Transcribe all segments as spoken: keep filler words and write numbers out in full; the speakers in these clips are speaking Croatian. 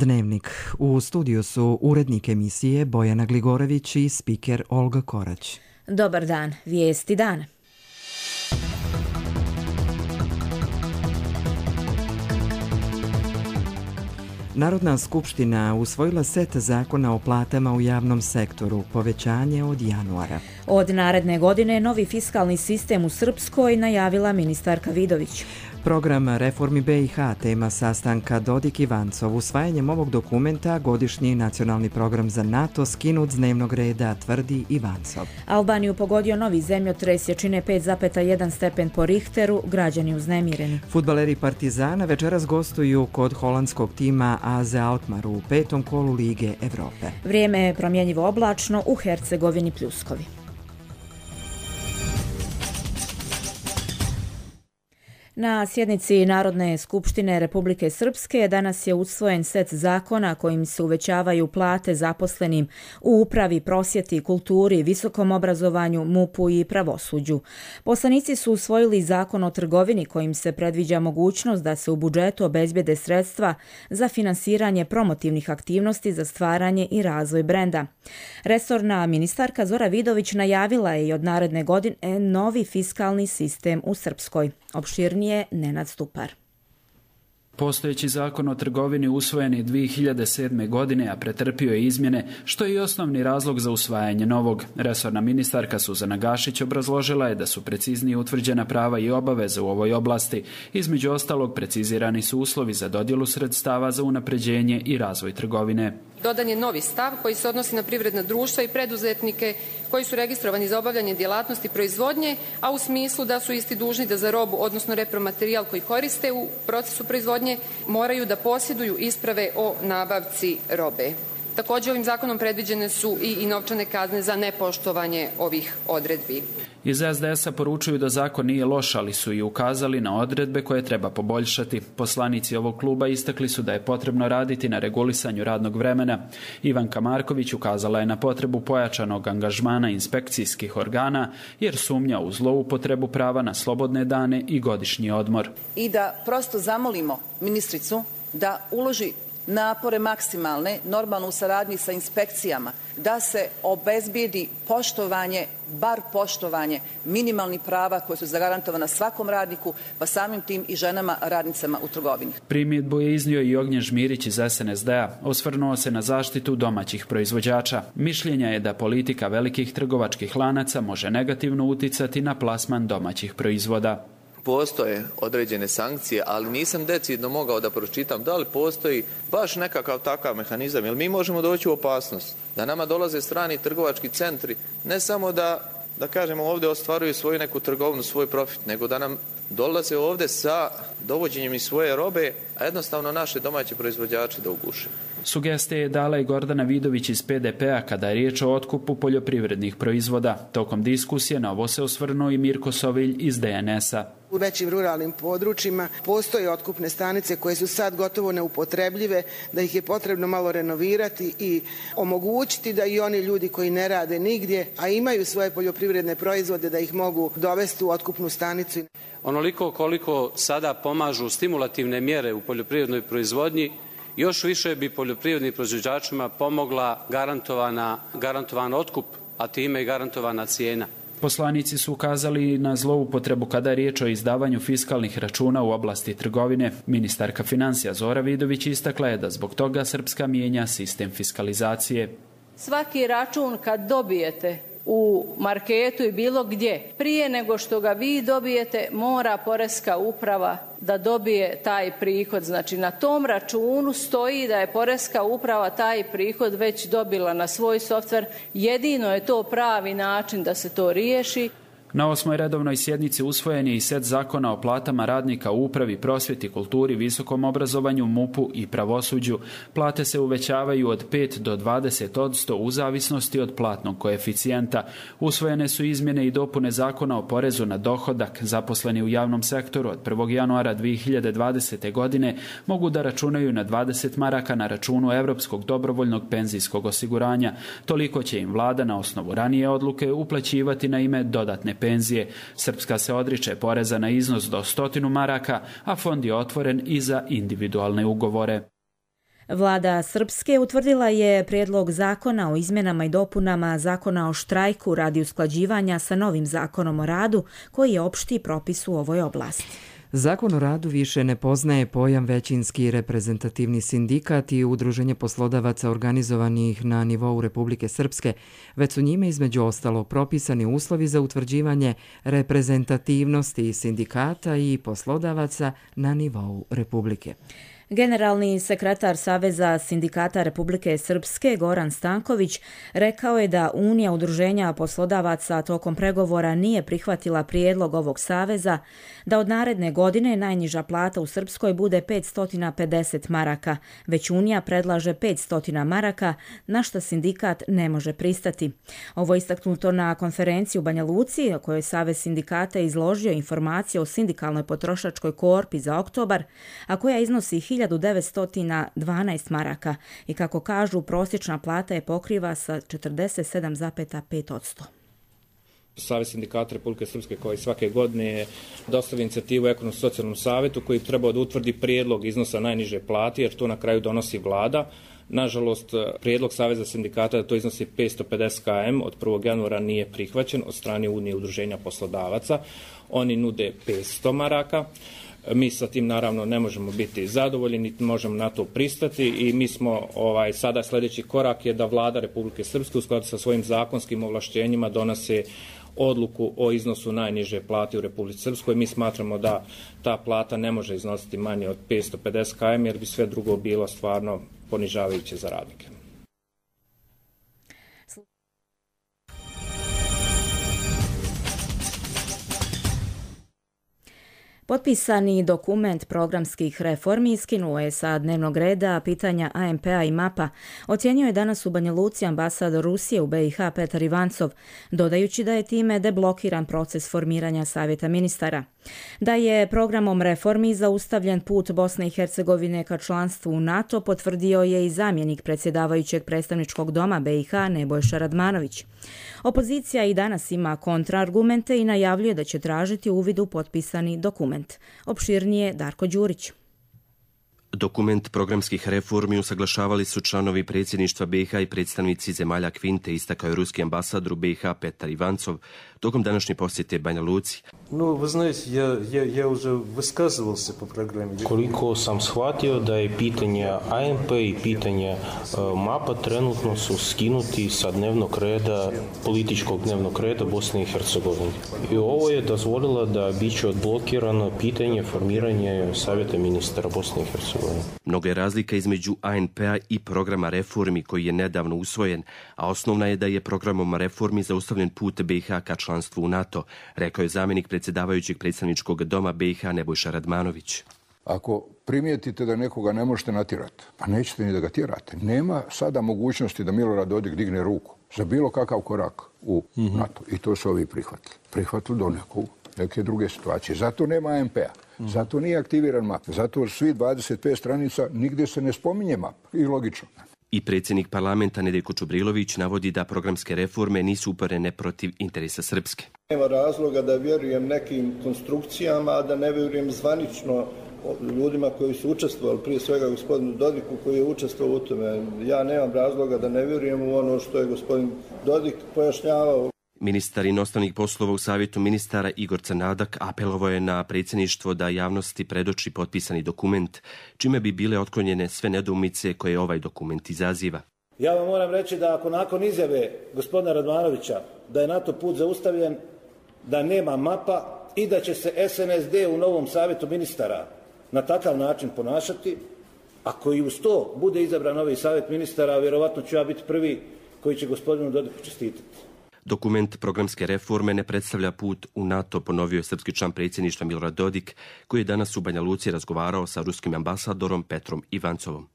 Dnevnik. U studiju su urednik emisije Bojana Gligorević i spiker Olga Korać. Dobar dan, vijesti dana. Narodna skupština usvojila set zakona o platama u javnom sektoru, povećanje od januara. Od naredne godine novi fiskalni sistem u Srpskoj najavila ministarka Vidović. Program reformi be i ha tema sastanka Dodik i Vancov. Usvajanjem ovog dokumenta godišnji nacionalni program za NATO skinut s dnevnog reda, tvrdi i Vancov. Albaniju pogodio novi zemljotres jačine pet zarez jedan stepen po Richteru, građani uznemireni. Fudbaleri Partizana večeras gostuju kod holandskog tima a z Alkmaar u petom kolu Lige Evrope. Vrijeme je promjenjivo oblačno, u Hercegovini pljuskovi. Na sjednici Narodne skupštine Republike Srpske danas je usvojen set zakona kojim se uvećavaju plate zaposlenim u upravi, prosvjeti, kulturi, visokom obrazovanju, mupu i pravosuđu. Poslanici su usvojili zakon o trgovini kojim se predviđa mogućnost da se u budžetu obezbijede sredstva za finansiranje promotivnih aktivnosti za stvaranje i razvoj brenda. Resorna ministarka Zora Vidović najavila je i od naredne godine novi fiskalni sistem u Srpskoj. Opširnije Nenad Stupar. Postojeći zakon o trgovini usvojen je dvije hiljade sedme. godine, a pretrpio je izmjene, što je i osnovni razlog za usvajanje novog. Resorna ministarka Suzana Gašić obrazložila je da su preciznije utvrđena prava i obaveze u ovoj oblasti. Između ostalog, precizirani su uslovi za dodjelu sredstava za unapređenje i razvoj trgovine. Dodan je novi stav koji se odnosi na privredna društva i preduzetnike koji su registrovani za obavljanje djelatnosti proizvodnje, a u smislu da su isti dužni da za robu, odnosno repromaterijal koji koriste u procesu proizvodnje, moraju da posjeduju isprave o nabavci robe. Također ovim zakonom predviđene su i, i novčane kazne za nepoštovanje ovih odredbi. Iz es de es a poručuju da zakon nije loš, ali su i ukazali na odredbe koje treba poboljšati. Poslanici ovog kluba istakli su da je potrebno raditi na regulisanju radnog vremena. Ivanka Marković ukazala je na potrebu pojačanog angažmana inspekcijskih organa, jer sumnja u zloupotrebu prava na slobodne dane i godišnji odmor. I da prosto zamolimo ministricu da uloži napore maksimalne, normalno u saradnji sa inspekcijama, da se obezbijedi poštovanje, bar poštovanje minimalnih prava koje su zagarantovana svakom radniku, pa samim tim i ženama radnicama u trgovini. Primjedbu je iznio i Ognjen Žmirić iz es en es de a. Osvrnuo se na zaštitu domaćih proizvođača. Mišljenja je da politika velikih trgovačkih lanaca može negativno uticati na plasman domaćih proizvoda. Postoje određene sankcije, ali nisam decidno mogao da pročitam da li postoji baš nekakav takav mehanizam, jer mi možemo doći u opasnost da nama dolaze strani trgovački centri, ne samo da, da kažemo ovdje ostvaruju svoju neku trgovinu, svoj profit, nego da nam dolaze ovdje sa dovođenjem iz svoje robe, a jednostavno naše domaće proizvođače da uguše. Sugestije je dala i Gordana Vidović iz pe de pe a kada je riječ o otkupu poljoprivrednih proizvoda. Tokom diskusije na ovo se osvrnuo i Mirko Sovilj iz de en es a. U većim ruralnim područjima postoje otkupne stanice koje su sad gotovo neupotrebljive, da ih je potrebno malo renovirati i omogućiti da i oni ljudi koji ne rade nigdje, a imaju svoje poljoprivredne proizvode, da ih mogu dovesti u otkupnu stanicu. Onoliko koliko sada pomažu stimulativne mjere u poljoprivrednoj proizvodnji, još više bi poljoprivrednim proizvođačima pomogla garantovana, garantovan otkup, a time i garantovana cijena. Poslanici su ukazali na zloupotrebu kada je riječ o izdavanju fiskalnih računa u oblasti trgovine. Ministarka financija Zora Vidović istakla je da zbog toga Srpska mijenja sistem fiskalizacije. Svaki račun kad dobijete u marketu i bilo gdje, prije nego što ga vi dobijete, mora Poreska uprava da dobije taj prihod. Znači na tom računu stoji da je Poreska uprava taj prihod već dobila na svoj softver. Jedino je to pravi način da se to riješi. Na osmoj redovnoj sjednici usvojen je i set zakona o platama radnika u upravi, prosvjeti, kulturi, visokom obrazovanju, mupu i pravosuđu. Plate se uvećavaju od pet do dvadeset posto u zavisnosti od platnog koeficijenta. Usvojene su izmjene i dopune zakona o porezu na dohodak. Zaposleni u javnom sektoru od prvog januara dvije hiljade dvadesete. godine mogu da računaju na dvadeset maraka na računu Europskog dobrovoljnog penzijskog osiguranja. Toliko će im vlada na osnovu ranije odluke uplaćivati na ime dodatne penzije. Srpska se odriče poreza na iznos do stotinu maraka, a fond je otvoren i za individualne ugovore. Vlada Srpske utvrdila je prijedlog zakona o izmjenama i dopunama zakona o štrajku radi usklađivanja sa novim zakonom o radu koji je opšti propis u ovoj oblasti. Zakon o radu više ne poznaje pojam većinski reprezentativni sindikat i udruženje poslodavaca organizovanih na nivou Republike Srpske, već su njime između ostalog propisani uslovi za utvrđivanje reprezentativnosti sindikata i poslodavaca na nivou Republike. Generalni sekretar Saveza sindikata Republike Srpske Goran Stanković rekao je da Unija udruženja poslodavaca tokom pregovora nije prihvatila prijedlog ovog saveza da od naredne godine najniža plata u Srpskoj bude petsto pedeset maraka, već Unija predlaže petsto maraka, na što sindikat ne može pristati. Ovo je istaknuto na konferenciji u Banja Luci, o kojoj Savez sindikata izložio informacije o sindikalnoj potrošačkoj korpi za oktobar, a koja iznosi hiljadu devetsto dvanaest maraka i kako kažu prosječna plata je pokriva sa četrdeset sedam zarez pet posto. Savez sindikata Republike Srpske koji svake godine je dostavio inicijativu Ekonomsko-socijalnom savjetu koji bi trebao da utvrdi prijedlog iznosa najniže plate jer to na kraju donosi vlada. Nažalost, prijedlog Saveza sindikata da to iznosi petsto pedeset kilometara od prvog januara nije prihvaćen od strane Unije udruženja poslodavaca. Oni nude petsto maraka. Mi sa tim naravno ne možemo biti zadovoljni, niti možemo na to pristati i mi smo ovaj, sada sljedeći korak je da vlada Republike Srpske u skladu sa svojim zakonskim ovlašćenjima donose odluku o iznosu najniže plate u Republici Srpskoj. Mi smatramo da ta plata ne može iznositi manje od petsto pedeset kilometara jer bi sve drugo bilo stvarno ponižavajuće za radnike. Potpisani dokument programskih reformi skinuo je sa dnevnog reda pitanja A M P-a i MAP-a, ocjenio je danas u Banja Luci ambasador Rusije u B i H Petar Ivancov, dodajući da je time deblokiran proces formiranja Savjeta ministara. Da je programom reformi zaustavljen put Bosne i Hercegovine ka članstvu u NATO, potvrdio je i zamjenik predsjedavajućeg predstavničkog doma B i H Nebojša Radmanović. Opozicija i danas ima kontraargumente i najavljuje da će tražiti uvid u potpisani dokument. Opširnije Darko Đurić. Dokument programskih reformi usaglašavali su članovi predsjedništva B i H i predstavnici zemalja Kvinte, istakao je ruski ambasador u B i H Petar Ivancov tokom današnje posjete Banja Luci. No, вы знаете, я, я, я уже высказывался по программе. Koliko sam shvatio da je pitanja A M P i pitanja uh, MAP-a trenutno su skinuti sa dnevnog reda, političkog dnevnog reda Bosne i Hercegovine. I ovo je dozvolilo da biće odblokirano pitanje formiranja Savjeta ministara Bosne i Hercegovine. Mnogo je razlika između A N P-a i programa reformi koji je nedavno usvojen, a osnovna je da je programom reformi zaustavljen put B i H ka članstvu u NATO, rekao je zamjenik predsjedavajućeg predstavničkog doma B i H Nebojša Radmanović. Ako primijetite da nekoga ne možete natjerati, pa nećete ni da ga tjerate. Nema sada mogućnosti da Milorad Dodik digne ruku za bilo kakav korak u mm-hmm. NATO. I to su ovi prihvatili. Prihvatili do nekog, neke druge situacije. Zato nema A M P-a. Mm-hmm. Zato nije aktiviran MAP. Zato svi dvadeset pet stranica nigdje se ne spominje MAP. I logično. I predsjednik parlamenta Nedeljko Čubrilović navodi da programske reforme nisu uperene protiv interesa Srpske. Nema razloga da vjerujem nekim konstrukcijama, a da ne vjerujem zvanično ljudima koji su učestvovali, prije svega gospodinu Dodiku koji je učestvovao u tome. Ja nemam razloga da ne vjerujem u ono što je gospodin Dodik pojašnjavao. Ministar inostranih poslova u Savjetu ministara Igor Crnadak apelovao je na predsjedništvo da javnosti predoči potpisani dokument, čime bi bile otklonjene sve nedoumice koje ovaj dokument izaziva. Ja vam moram reći da ako nakon izjave gospodina Radmanovića da je NATO put zaustavljen, da nema MAP-a i da će se S N S D u novom Savjetu ministara na takav način ponašati, ako i uz to bude izabran novi Savjet ministara, vjerovatno ću ja biti prvi koji će gospodinu Dodiku čestitati. Dokument programske reforme ne predstavlja put u NATO, ponovio je srpski član predsjedništva Milorad Dodik, koji je danas u Banja Luci razgovarao sa ruskim ambasadorom Petrom Ivancovom.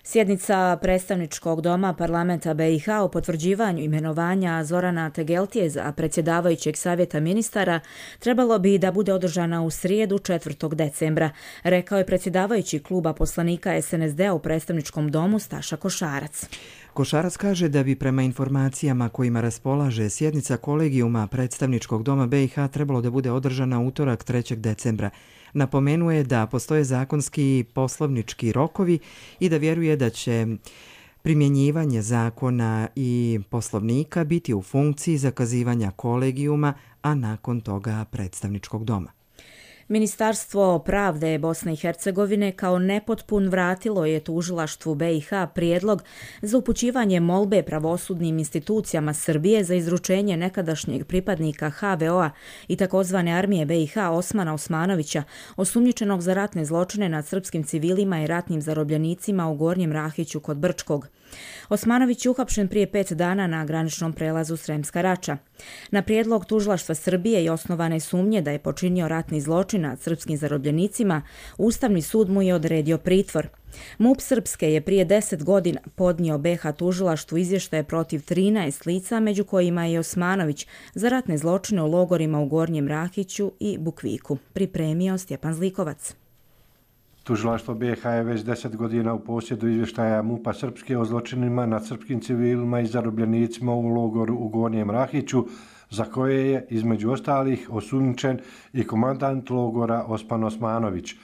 Sjednica predstavničkog doma parlamenta B i H o potvrđivanju imenovanja Zorana Tegeltije za predsjedavajućeg savjeta ministara trebalo bi da bude održana u srijedu četvrtog decembra, rekao je predsjedavajući kluba poslanika S N S D-a u predstavničkom domu Staša Košarac. Košarac kaže da bi prema informacijama kojima raspolaže sjednica kolegijuma predstavničkog doma B i H trebalo da bude održana utorak trećeg decembra. Napomenuje da postoje zakonski poslovnički rokovi i da vjeruje da će primjenjivanje zakona i poslovnika biti u funkciji zakazivanja kolegijuma, a nakon toga predstavničkog doma. Ministarstvo pravde Bosne i Hercegovine kao nepotpun vratilo je tužilaštvu B i H prijedlog za upućivanje molbe pravosudnim institucijama Srbije za izručenje nekadašnjeg pripadnika H V O-a i takozvane armije B i H Osmana Osmanovića, osumnjičenog za ratne zločine nad srpskim civilima i ratnim zarobljenicima u Gornjem Rahiću kod Brčkog. Osmanović je uhapšen prije pet dana na graničnom prelazu Sremska Rača. Na prijedlog tužilaštva Srbije i osnovane sumnje da je počinio ratni zločin nad srpskim zarobljenicima, Ustavni sud mu je odredio pritvor. MUP Srpske je prije deset godina podnio B H tužilaštvu izvještaje protiv trinaest lica, među kojima je Osmanović, za ratne zločine u logorima u Gornjem Rahiću i Bukviku. Pripremio Stjepan Zlikovac. Tužilaštvo B i H je već deset godina u posjedu izvještaja MUP-a Srpske o zločinima nad srpskim civilima i zarobljenicima u logoru u Gornjem Rahiću, za koje je, između ostalih, osumnjičen i komandant logora Osman Osmanović.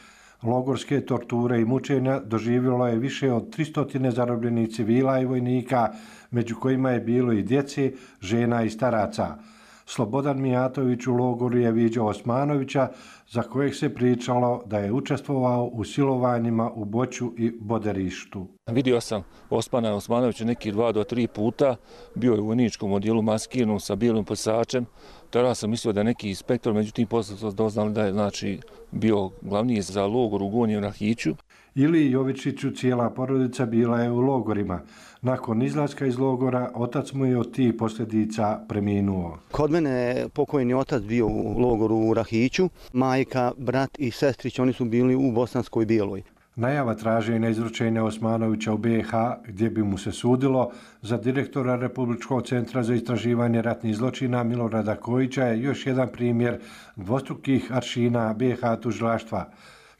Logorske torture i mučenja doživjelo je više od tristo zarobljenih civila i vojnika, među kojima je bilo i djece, žena i staraca. Slobodan Mijatović u logoru je viđao Osmanovića, za kojeg se pričalo da je učestvovao u silovanjima u Boću i Boderištu. Vidio sam Osmana Osmanovića neki dva do tri puta, bio je u vojničkom odjelu maskirnom sa bijelim posačem. Tada sam mislio da je neki inspektor, međutim posle sam doznali da je znači, bio glavni za logor u Gornjem Rahiću. Ili Jovičiću cijela porodica bila je u logorima. Nakon izlaska iz logora, otac mu je od tih posljedica preminuo. Kod mene je pokojni otac bio u logoru u Rahiću, majka, brat i sestrić, oni su bili u Bosanskoj Bijeloj. Najava traženja izručenja Osmanovića u B i H, gdje bi mu se sudilo, za direktora Republičkog centra za istraživanje ratnih zločina Milorada Kojića je još jedan primjer dvostrukih aršina B i H tužilaštva.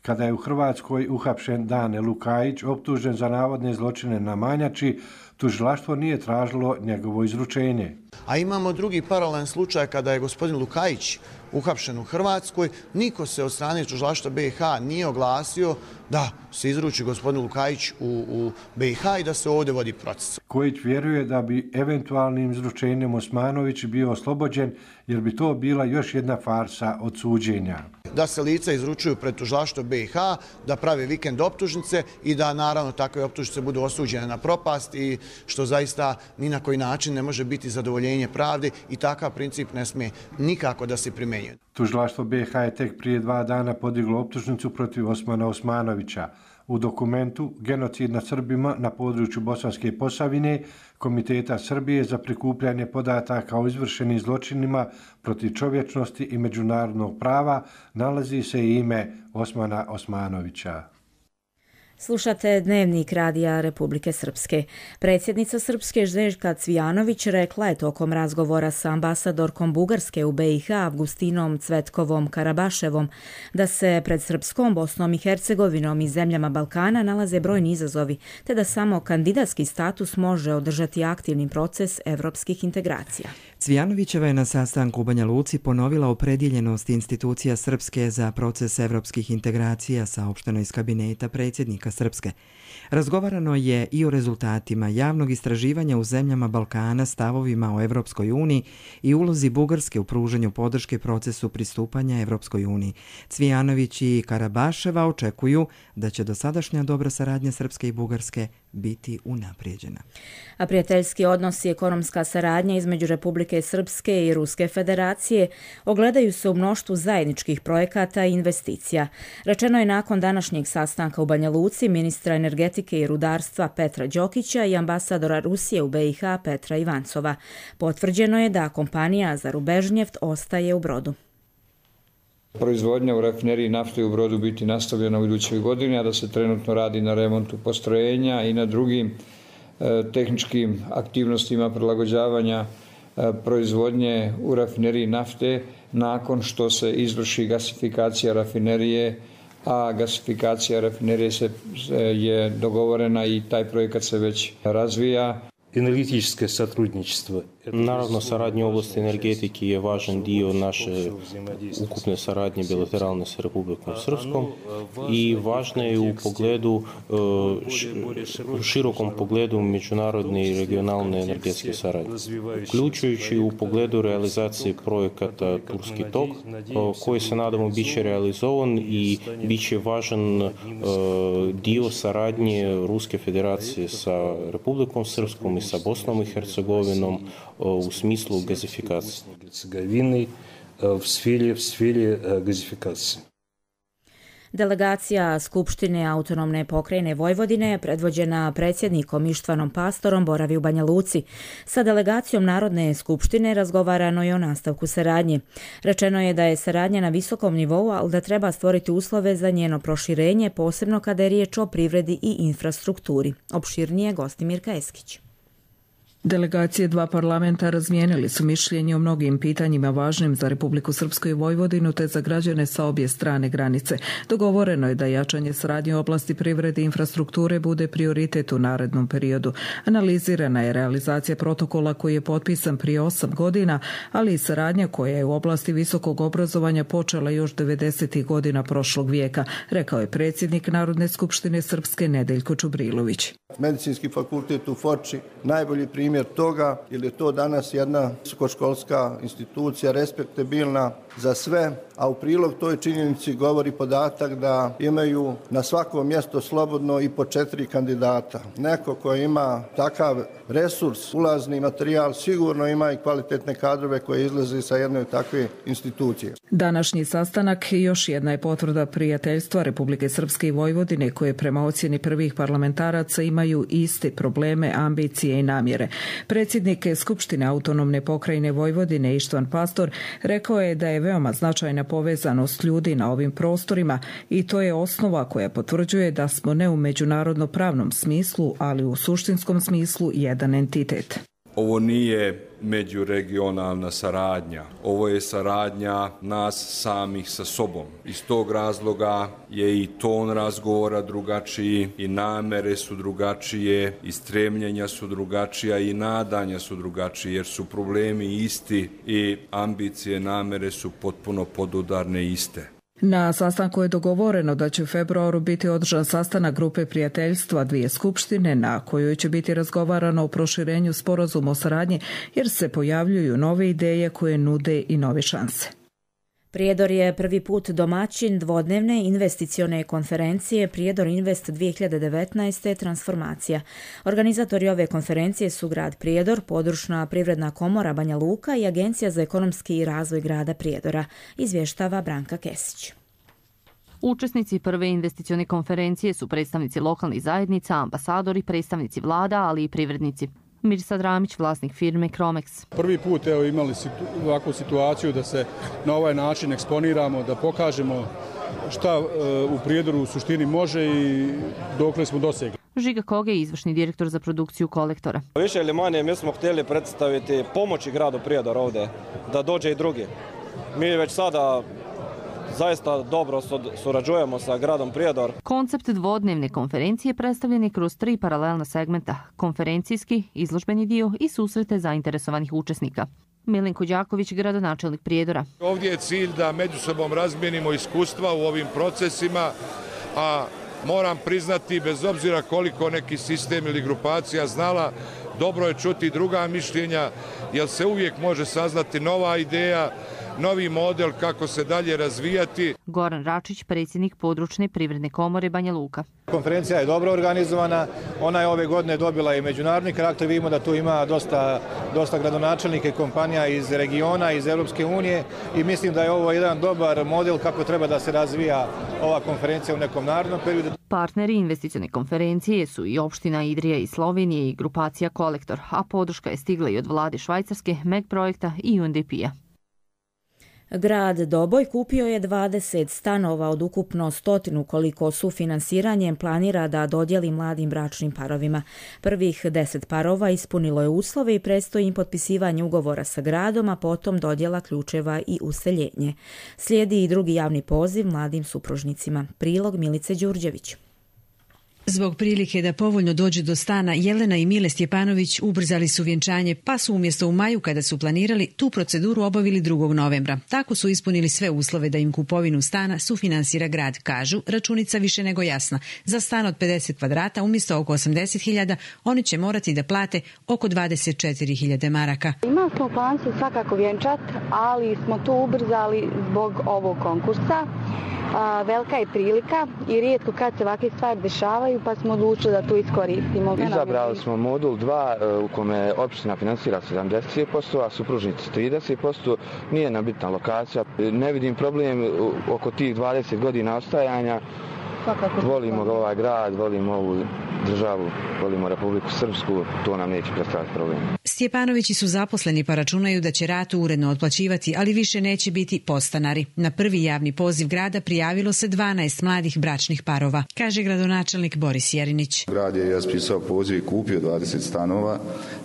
Kada je u Hrvatskoj uhapšen Dane Lukajić, optužen za navodne zločine na Manjači, tužilaštvo nije tražilo njegovo izručenje. A imamo drugi paralelan slučaj kada je gospodin Lukajić uhapšen u Hrvatskoj. Niko se od strane tužilaštva B i H nije oglasio da se izruči gospodin Lukajić u, u B i H i da se ovdje vodi proces. Kojić vjeruje da bi eventualnim izručenjem Osmanović bio oslobođen, jer bi to bila još jedna farsa od suđenja. Da se lica izručuju pred tužilaštvo B i H, da prave vikend optužnice i da naravno takve optužnice budu osuđene na propast i što zaista ni na koji način ne može biti zadovoljenje pravde i takav princip ne smije nikako da se primjenjuje. Tužilaštvo B i H je tek prije dva dana podiglo optužnicu protiv Osmana Osmanovića. U dokumentu Genocid nad Srbima na području Bosanske Posavine, Komiteta Srbije za prikupljanje podataka o izvršenim zločinima protiv čovječnosti i međunarodnog prava nalazi se i ime Osmana Osmanovića. Slušate Dnevnik Radija Republike Srpske. Predsjednica Srpske Željka Cvijanović rekla je tokom razgovora sa ambasadorkom Bugarske u B i H Avgustinom Cvetkovom Karabaševom da se pred Srpskom, Bosnom i Hercegovinom i zemljama Balkana nalaze brojni izazovi, te da samo kandidatski status može održati aktivni proces evropskih integracija. Cvijanovićeva je na sastanku u Banja Luci ponovila opredjeljenost institucija Srpske za proces evropskih integracija, saopšteno iz kabineta predsjednika Srpske. Razgovarano je i o rezultatima javnog istraživanja u zemljama Balkana, stavovima o Evropskoj uniji i ulozi Bugarske u pružanju podrške procesu pristupanja Evropskoj uniji. Cvijanović i Karabaševa očekuju da će dosadašnja dobra saradnja Srpske i Bugarske biti unaprijeđena. A prijateljski odnos i ekonomska saradnja između Republike Srpske i Ruske federacije ogledaju se u mnoštvu zajedničkih projekata i investicija. Rečeno je nakon današnjeg sastanka u Banja Luci ministra energetike i rudarstva Petra Đokića i ambasadora Rusije u B i H Petra Ivancova. Potvrđeno je da kompanija za Rubežnjeft ostaje u Brodu. Proizvodnja u rafineriji nafte u Brodu biti nastavljena u idućoj godini, a da se trenutno radi na remontu postrojenja i na drugim e, tehničkim aktivnostima prilagođavanja e, proizvodnje u rafineriji nafte nakon što se izvrši gasifikacija rafinerije, a gasifikacija rafinerije se, je dogovorena i taj projekat se već razvija. Энергетическое сотрудничество Naravno, saradnja u oblasti energetike je važan dio naše ukupne saradnje bilateralne sa Republikom Srpskom i važna je u pogledu, u širokom pogledu međunarodne i regionalne energetske saradnje, uključujući u pogledu realizacije projekata Turski tok, koji se nadamo bit će realizovan i bit će važan dio saradnje Ruske federacije sa Republikom Srpskom i sa Bosnom i Hercegovinom u smislu gazifikacije. V sferi, v sferi gazifikacije. Delegacija Skupštine autonomne pokrajine Vojvodine, predvođena predsjednikom Ištvanom Pastorom, boravi u Banja Luci. Sa delegacijom Narodne skupštine razgovarano je o nastavku saradnje. Rečeno je da je saradnja na visokom nivou, ali da treba stvoriti uslove za njeno proširenje, posebno kada je riječ o privredi i infrastrukturi. Opširnije Gostimirka Eskić. Delegacije dva parlamenta razmijenili su mišljenje o mnogim pitanjima važnim za Republiku Srpsku i Vojvodinu te za građane sa obje strane granice. Dogovoreno je da jačanje saradnje u oblasti privrede i infrastrukture bude prioritet u narednom periodu. Analizirana je realizacija protokola koji je potpisan prije osam godina, ali i saradnja koja je u oblasti visokog obrazovanja počela još devedesetih godina prošlog vijeka, rekao je predsjednik Narodne skupštine Srpske Nedeljko Čubrilović. Medicinski fakultet u Foči najbolji primjer toga, jer je to danas jedna visokoškolska institucija respektabilna za sve, a u prilog toj činjenici govori podatak da imaju na svako mjesto slobodno i po četiri kandidata. Neko ko ima takav resurs, ulazni materijal, sigurno ima i kvalitetne kadrove koje izlaze sa jedne takve institucije. Današnji sastanak još jedna je potvrda prijateljstva Republike Srpske i Vojvodine koje prema ocjeni prvih parlamentaraca imaju iste probleme, ambicije i namjere. Predsjednik Skupštine autonomne pokrajine Vojvodine Ištvan Pastor rekao je da je veoma značajna povezanost ljudi na ovim prostorima i to je osnova koja potvrđuje da smo ne u međunarodno pravnom smislu, ali u suštinskom smislu jedan entitet. Ovo nije međuregionalna saradnja, ovo je saradnja nas samih sa sobom. Iz tog razloga je i ton razgovora drugačiji, i namere su drugačije, i stremljenja su drugačija, i nadanja su drugačije, jer su problemi isti i ambicije, namere su potpuno podudarne iste. Na sastanku je dogovoreno da će u februaru biti održan sastanak grupe prijateljstva dvije skupštine na kojoj će biti razgovarano o proširenju sporazuma o saradnji jer se pojavljuju nove ideje koje nude i nove šanse. Prijedor je prvi put domaćin dvodnevne investicione konferencije Prijedor Invest dvije hiljade devetnaeste transformacija. Organizatori ove konferencije su grad Prijedor, područna privredna komora Banja Luka i Agencija za ekonomski razvoj grada Prijedora, izvještava Branka Kesić. Učesnici prve investicione konferencije su predstavnici lokalnih zajednica, ambasadori, predstavnici vlada, ali i privrednici. Mirsad Ramić, vlasnik firme Cromex. Prvi put evo, imali situ, ovakvu situaciju da se na ovaj način eksponiramo, da pokažemo šta e, u Prijedoru u suštini može i dokle smo dosegli. Žiga Koge, izvršni direktor za produkciju Kolektora. Više ili manje mi smo htjeli predstaviti pomoći gradu Prijedor ovdje, da dođe i drugi. Mi već sada zaista dobro surađujemo sa gradom Prijedor. Koncept dvodnevne konferencije predstavljen je kroz tri paralelna segmenta: konferencijski, izložbeni dio i susrete zainteresovanih učesnika. Milenko Đaković, gradonačelnik Prijedora. Ovdje je cilj da među sobom razmijenimo iskustva u ovim procesima, a moram priznati, bez obzira koliko neki sistem ili grupacija znala, dobro je čuti druga mišljenja, jer se uvijek može saznati nova ideja, novi model kako se dalje razvijati. Goran Račić, predsjednik područne privredne komore Banja Luka. Konferencija je dobro organizovana, ona je ove godine dobila i međunarodni karakter, vidimo da tu ima dosta, dosta gradonačelnika i kompanija iz regiona, iz Europske unije i mislim da je ovo jedan dobar model kako treba da se razvija ova konferencija u nekom narednom periodu. Partneri investicione konferencije su i opština Idrija iz Slovenije i grupacija Kolektor, a podrška je stigla i od vlade Švajcarske, M E G projekta i U N D P-a. Grad Doboj kupio je dvadeset stanova od ukupno stotinu koliko sufinanciranjem planira da dodijeli mladim bračnim parovima. Prvih deset parova ispunilo je uslove i predstoji im potpisivanje ugovora sa gradom, a potom dodjela ključeva i useljenje. Slijedi i drugi javni poziv mladim supružnicima. Prilog Milice Đurđević. Zbog prilike da povoljno dođu do stana, Jelena i Mile Stjepanović ubrzali su vjenčanje, pa su umjesto u maju kada su planirali tu proceduru obavili drugog novembra. Tako su ispunili sve uslove da im kupovinu stana sufinansira grad. Kažu, računica više nego jasna. Za stan od pedeset kvadrata umjesto oko osamdeset hiljada oni će morati da plate oko dvadeset četiri hiljade maraka. Imali smo plan se svakako vjenčat, ali smo to ubrzali zbog ovog konkursa. A, velika je prilika i rijetko kad se ovakve stvari dešavaju, pa smo odlučili da to iskoristimo. Izabrali smo modul dva u kome opština finansira sedamdeset posto, a supružnici trideset posto. Nije nam bitna lokacija. Ne vidim problem oko tih dvadeset godina ostajanja. Volimo ovaj grad, volimo ovu državu, volimo Republiku Srpsku, to nam neće predstaviti problem. Stjepanovići su zaposleni pa računaju da će ratu uredno otplaćivati, ali više neće biti podstanari. Na prvi javni poziv grada prijavilo se dvanaest mladih bračnih parova, kaže gradonačelnik Boris Jerinić. Grad je raspisao poziv i kupio dvadeset stanova,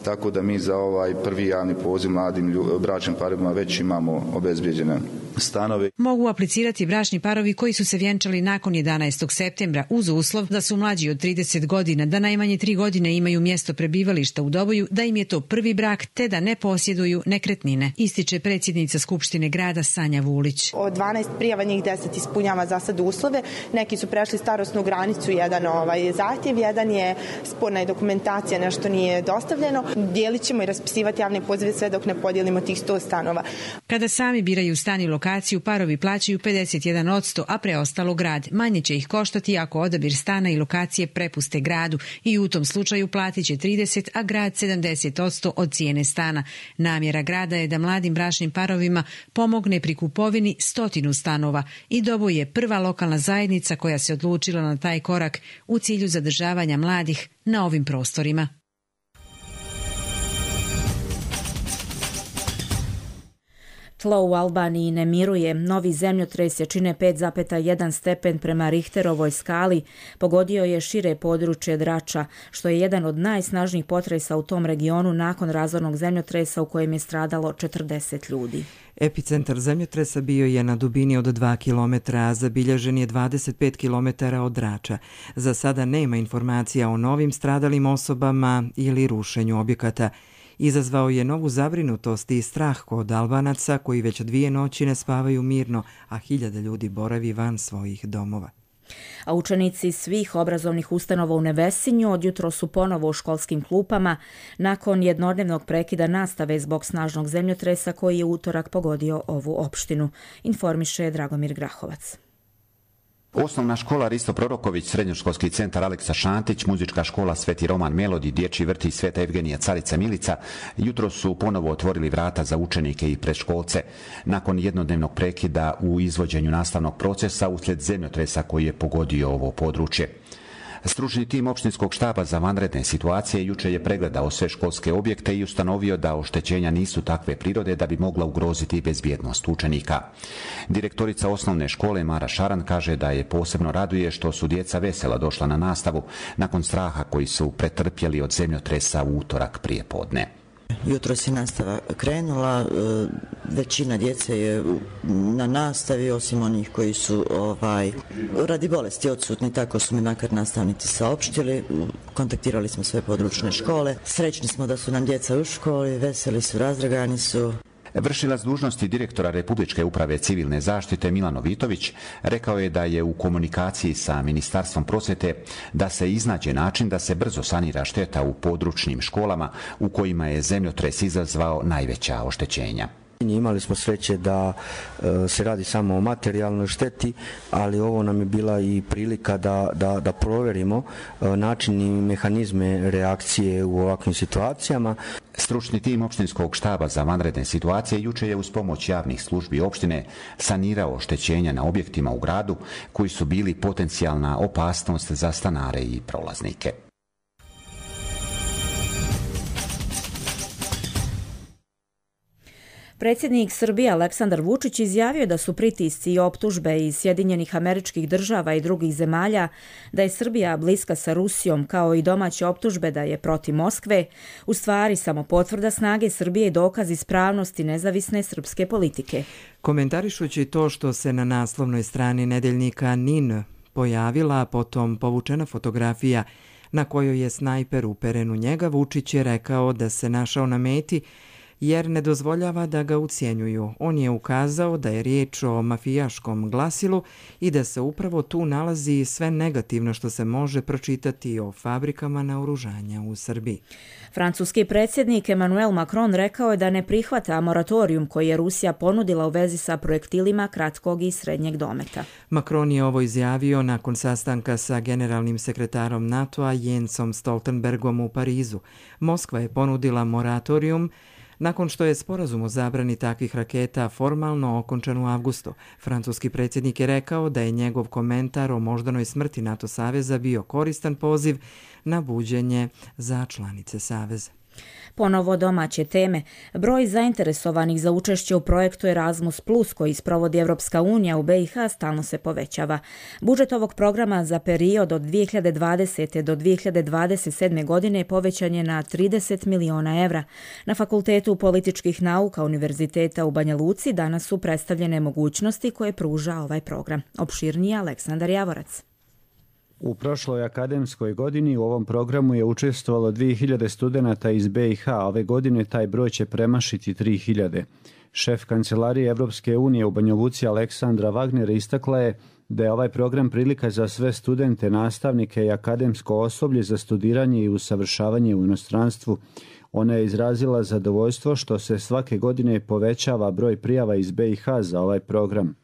tako da mi za ovaj prvi javni poziv mladim bračnim parovima već imamo obezbijeđene stanove. Mogu aplicirati bračni parovi koji su se vjenčali nakon jedanaestog septembra uz uslov da su mlađi od trideset godina, da najmanje tri godine imaju mjesto prebivališta u Doboju, da im je to prvi brak te da ne posjeduju nekretnine, ističe predsjednica Skupštine grada Sanja Vulić. Od dvanaest prijava njih deset ispunjava za sad uslove, neki su prešli starosnu granicu, jedan ovaj zahtjev, jedan je sporna dokumentacija, nešto nije dostavljeno. Dijelit ćemo i raspisivati javne pozive sve dok ne podijelimo tih sto stanova. Kada sami biraju stan i lokaciju, parovi plaćaju pedeset jedan posto, a preostalo grad. Manje će ih koštati ako odabir stana i lokacije prepuste gradu i u tom slučaju platit će trideset, a grad sedamdeset posto od cijene stana. Namjera grada je da mladim bračnim parovima pomogne pri kupovini stotinu stanova i Doboj je prva lokalna zajednica koja se odlučila na taj korak u cilju zadržavanja mladih na ovim prostorima. Tlo u Albaniji ne miruje. Novi zemljotres jačine pet zarez jedan stepen prema Richterovoj skali pogodio je šire područje Drača, što je jedan od najsnažnijih potresa u tom regionu nakon razornog zemljotresa u kojem je stradalo četrdeset ljudi. Epicentar zemljotresa bio je na dubini od dva kilometra, a zabilježen je dvadeset pet kilometara od Drača. Za sada nema informacija o novim stradalim osobama ili rušenju objekata. Izazvao je novu zabrinutost i strah kod Albanaca koji već dvije noći ne spavaju mirno, a hiljade ljudi boravi van svojih domova. A učenici svih obrazovnih ustanova u Nevesinju odjutro su ponovo u školskim klupama nakon jednodnevnog prekida nastave zbog snažnog zemljotresa koji je utorak pogodio ovu opštinu, informiše Dragomir Grahovac. Osnovna škola Risto Proroković, srednjoškolski centar Aleksa Šantić, muzička škola Sveti Roman Melodi, dječji vrtić Sveta Evgenija Carica Milica jutro su ponovo otvorili vrata za učenike i predškolce nakon jednodnevnog prekida u izvođenju nastavnog procesa uslijed zemljotresa koji je pogodio ovo područje. Stručni tim opštinskog štaba za vanredne situacije juče je pregledao sve školske objekte i ustanovio da oštećenja nisu takve prirode da bi mogla ugroziti bezbjednost učenika. Direktorica osnovne škole Mara Šaran kaže da je posebno raduje što su djeca vesela došla na nastavu nakon straha koji su pretrpjeli od zemljotresa u utorak prije podne. Jutro se nastava krenula, većina djece je na nastavi, osim onih koji su ovaj, radi bolesti odsutni, tako su mi makar nastavnici saopštili. Kontaktirali smo sve područne škole, srećni smo da su nam djeca u školi, veseli su, razdragani su. Vršilac dužnosti direktora Republičke uprave civilne zaštite Milano Vitović rekao je da je u komunikaciji sa Ministarstvom prosvjete da se iznađe način da se brzo sanira šteta u područnim školama u kojima je zemljotres izazvao najveća oštećenja. Imali smo sreće da e, se radi samo o materijalnoj šteti, ali ovo nam je bila i prilika da, da, da provjerimo e, način i mehanizme reakcije u ovakvim situacijama. Stručni tim opštinskog štaba za vanredne situacije juče je uz pomoć javnih službi opštine sanirao oštećenja na objektima u gradu koji su bili potencijalna opasnost za stanare i prolaznike. Predsjednik Srbije Aleksandar Vučić izjavio da su pritisci i optužbe iz Sjedinjenih Američkih Država i drugih zemalja da je Srbija bliska sa Rusijom, kao i domaće optužbe da je protiv Moskve, u stvari samo potvrda snage Srbije i dokaz ispravnosti nezavisne srpske politike. Komentarišući to što se na naslovnoj strani nedeljnika N I N pojavila, a potom povučena fotografija na kojoj je snajper uperen u njega, Vučić je rekao da se našao na meti jer ne dozvoljava da ga ucjenjuju. On je ukazao da je riječ o mafijaškom glasilu i da se upravo tu nalazi sve negativno što se može pročitati o fabrikama naoružanja u Srbiji. Francuski predsjednik Emmanuel Macron rekao je da ne prihvata moratorijum koji je Rusija ponudila u vezi sa projektilima kratkog i srednjeg dometa. Macron je ovo izjavio nakon sastanka sa generalnim sekretarom NATO-a Jensom Stoltenbergom u Parizu. Moskva je ponudila moratorijum nakon što je sporazum o zabrani takvih raketa formalno okončan u avgustu. Francuski predsjednik je rekao da je njegov komentar o moždanoj smrti NATO saveza bio koristan poziv na buđenje za članice saveza. Ponovo domaće teme. Broj zainteresovanih za učešće u projektu Erasmus plus koji sprovodi Evropska unija u B i H stalno se povećava. Budžet ovog programa za period od dvije hiljade dvadesete do dvije hiljade dvadeset sedme godine povećan je na trideset miliona evra. Na Fakultetu političkih nauka Univerziteta u Banja Luci danas su predstavljene mogućnosti koje pruža ovaj program. Opširnije Aleksandar Javorac. U prošloj akademskoj godini u ovom programu je učestvovalo dvije hiljade studenata iz B i H, ove godine taj broj će premašiti tri hiljade. Šef Kancelarije Evropske unije u Banja Luci Aleksandra Wagner istakla je da je ovaj program prilika za sve studente, nastavnike i akademsko osoblje za studiranje i usavršavanje u inostranstvu. Ona je izrazila zadovoljstvo što se svake godine povećava broj prijava iz B i H za ovaj program.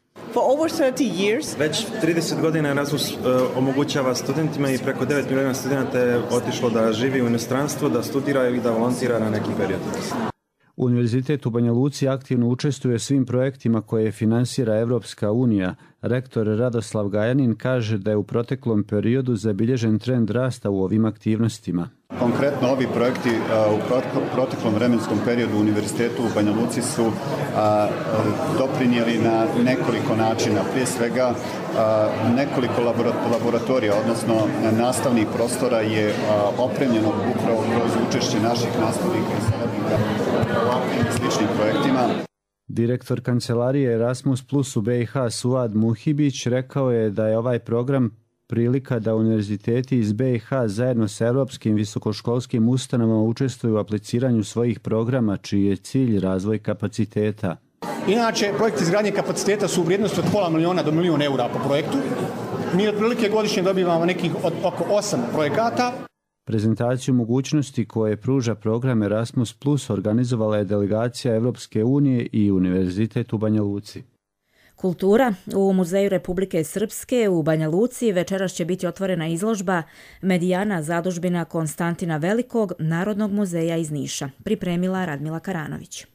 Već trideset godina Erasmus uh, omogućava studentima i preko devet miliona studenta je otišlo da živi u inostranstvu, da studiraju i da volontira na neki period. Univerzitet u Banja Luci aktivno učestvuje svim projektima koje finansira Evropska unija. Rektor Radoslav Gajanin kaže da je u proteklom periodu zabilježen trend rasta u ovim aktivnostima. Konkretno ovi projekti u proteklom vremenskom periodu u Univerzitetu u Banja Luci su a, doprinijeli na nekoliko načina. Prije svega a, nekoliko laboratorija, odnosno nastavnih prostora je a, opremljeno upravo kroz učešće naših nastavnika i saradnika u ovakvim sličnim projektima. Direktor Kancelarije Erasmus plus u B i H Suad Muhibić rekao je da je ovaj program prilika da univerziteti iz B i H zajedno sa europskim visokoškolskim ustanovama učestvuju u apliciranju svojih programa čiji je cilj razvoj kapaciteta. Inače, projekti izgradnje kapaciteta su u vrijednosti od pola miliona do milijun eura po projektu. Mi otprilike godišnje dobivamo nekih od oko osam projekata. Prezentaciju mogućnosti koje pruža program Erasmus plus organizovala je delegacija Evropske unije i Univerzitet u Banja Luci. Kultura. U Muzeju Republike Srpske u Banja Luci večeras će biti otvorena izložba Medijana zadužbina Konstantina Velikog Narodnog muzeja iz Niša. Pripremila Radmila Karanović.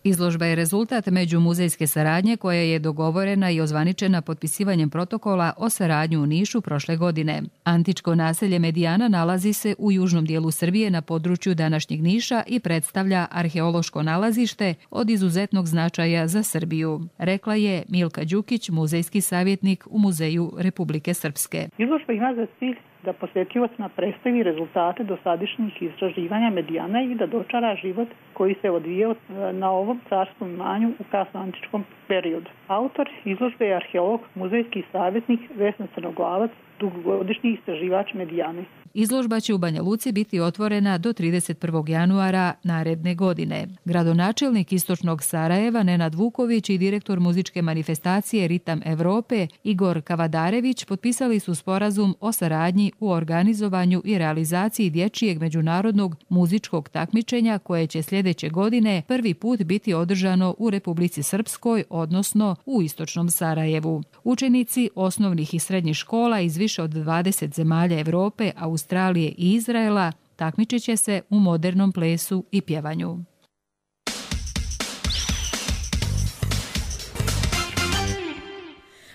Izložba je rezultat međumuzejske saradnje koja je dogovorena i ozvaničena potpisivanjem protokola o saradnju u Nišu prošle godine. Antičko naselje Medijana nalazi se u južnom dijelu Srbije na području današnjeg Niša i predstavlja arheološko nalazište od izuzetnog značaja za Srbiju, rekla je Milka Đukić, muzejski savjetnik u Muzeju Republike Srpske. Izložba ima za cilj da posjetiocima predstavi rezultate dosadašnjih istraživanja Medijana i da dočara život koji se odvijao na ovom carskom imanju u kasnoantičkom periodu. Autor izložbe je arheolog, muzejski savjetnik Vesna Crnoglavac, dugogodišnji istraživač Medijane. Izložba će u Banja Luci biti otvorena do trideset prvog januara naredne godine. Gradonačelnik Istočnog Sarajeva Nenad Vuković i direktor muzičke manifestacije Ritam Evrope Igor Kavadarević potpisali su sporazum o saradnji u organizovanju i realizaciji dječjeg međunarodnog muzičkog takmičenja koje će sljedeće godine prvi put biti održano u Republici Srpskoj, odnosno u Istočnom Sarajevu. Učenici osnovnih i srednjih škola iz više od dvadeset zemalja Evrope, Australije i Izraela takmičit će se u modernom plesu i pjevanju.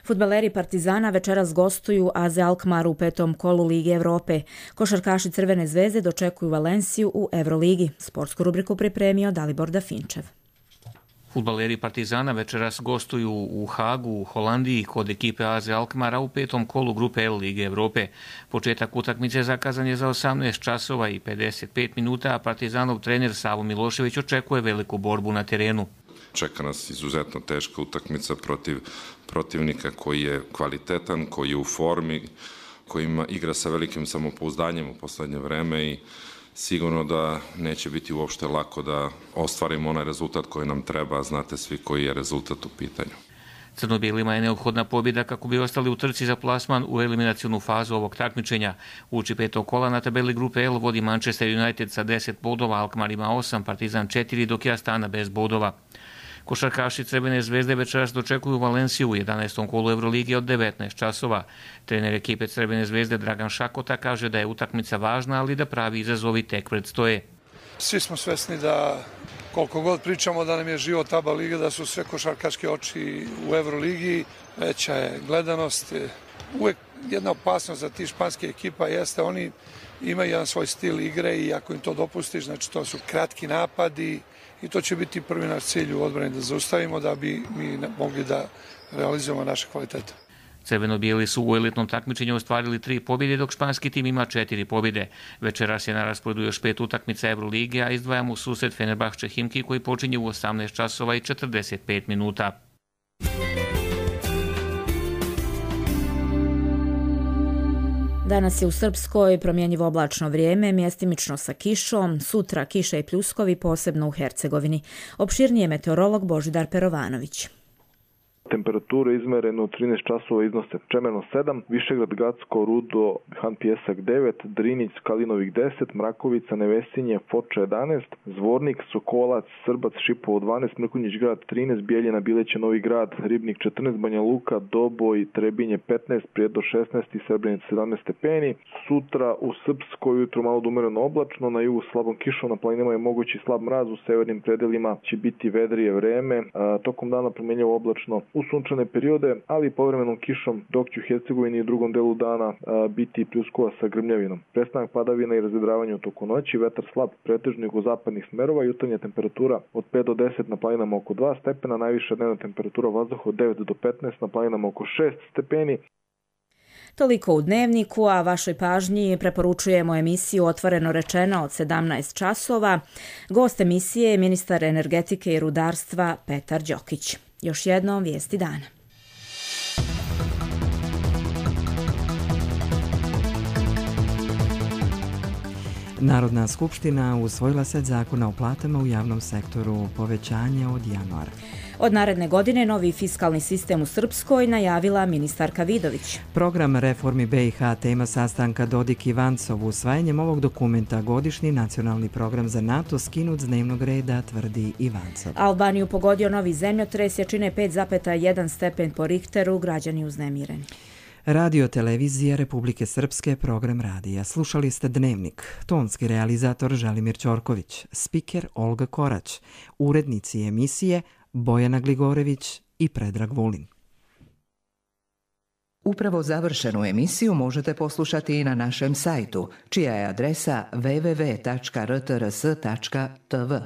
Fudbaleri Partizana večeras gostuju A Z Alkmaar u petom kolu Lige Evrope. Košarkaši Crvene zvezde dočekuju Valenciju u Evroligi. Sportsku rubriku pripremio Dalibor Dafinčev. Fudbaleri Partizana večeras gostuju u Hagu, u Holandiji, kod ekipe A Z Alkmaara u petom kolu grupe L Lige Evrope. Početak utakmice zakazan je za osamnaest časova i pedeset pet minuta, a Partizanov trener Savo Milošević očekuje veliku borbu na terenu. Čeka nas izuzetno teška utakmica protiv protivnika koji je kvalitetan, koji je u formi, koji ima, igra sa velikim samopouzdanjem u poslednje vreme i sigurno da neće biti uopšte lako da ostvarimo onaj rezultat koji nam treba, znate svi koji je rezultat u pitanju. Crno-bijelima je neophodna pobjeda kako bi ostali u trci za plasman u eliminacionu fazu ovog takmičenja. Uči petog kola na tabeli grupe L vodi Manchester United sa deset bodova, Alkmaar ima osam, Partizan četiri, dok je Astana bez bodova. Košarkaši Crvene zvezde večeras dočekuju Valenciju u jedanaestom kolu Euroligi od devetnaest časova. Trener ekipe Crvene zvezde Dragan Šakota kaže da je utakmica važna, ali da pravi izazovi tek predstoje. Svi smo svesni da koliko god pričamo da nam je život A B A liga, da su sve košarkaške oči u Euroligi, veća je gledanost. Uvek jedna opasnost za ti španske ekipa jeste oni imaju jedan svoj stil igre i ako im to dopustiš, znači to su kratki napadi i to će biti prvi naš cilj u odbrani da zaustavimo da bi mi mogli da realizujemo naše kvalitete. Crveno-bijeli su u elitnom takmičenju ostvarili tri pobjede, dok španski tim ima četiri pobjede. Večeras je na rasporedu još pet utakmica Euroligije, a izdvajamo susret Fenerbahče Himki koji počinje u osamnaest časova i četrdeset pet minuta. Danas je u Srpskoj promjenjivo oblačno vrijeme, mjestimično sa kišom, sutra kiša i pljuskovi, posebno u Hercegovini. Opširnije meteorolog Božidar Perovanović. Temperature izmerene u trinaest časova iznose Čemerno sedam, Višegrad, Gacko, Rudo, Han Pjesak devet, Drinić, Kalinovik deset, Mrakovica, Nevesinje, Foča jedanaest, Zvornik, Sokolac, Srbac, Šipovo dvanaest, Mrkonjić grad trinaest, Bijeljina, Bileće, Novi grad, Ribnik četrnaest, Banja Luka, Doboj, Trebinje petnaest, Prijedor šesnaest i Srebrenica sedamnaest stepeni. Sutra u Srpskoj ujutro malo umereno oblačno, na jugu slabom kišom, na planinama je mogući slab mraz, u severnim predelima će biti vedrije vreme, a, tokom dana promjenjivo oblačno u sunčane periode, ali i povremenom kišom, dok će u Hercegovini i drugom delu dana a, biti pljuskova sa grmljavinom. Prestanak padavina i razvedravanje u toku noći, vetar slab pretežno jugozapadnih smerova, jutarnja temperatura od pet do deset, na planinama oko dva stepena, najviša dnevna temperatura vazduha od devet do petnaest, na planinama oko šest stepeni. Toliko u Dnevniku, a vašoj pažnji preporučujemo emisiju Otvoreno rečeno od sedamnaest časova. Gost emisije je ministar energetike i rudarstva Petar Đokić. Još jednom vijesti dana. Narodna skupština usvojila set zakona o platama u javnom sektoru, povećanje od januara. Od naredne godine novi fiskalni sistem u Srpskoj najavila ministarka Vidović. Program reformi B i H tema sastanka Dodik i Vancov. Usvajanjem ovog dokumenta godišnji nacionalni program za NATO skinut s dnevnog reda, tvrdi i Vancov. Albaniju pogodio novi zemljotres, jačine pet zarez jedan stepen po Richteru, građani uznemireni. Radio televizija Republike Srpske, program radija. Slušali ste Dnevnik. Tonski realizator Želimir Ćorković, spiker Olga Korać, urednici emisije Bojana Gligorević i Predrag Vulin. Upravo završenu emisiju možete poslušati i na našem sajtu, čija je adresa w w w tačka r t r s tačka t v.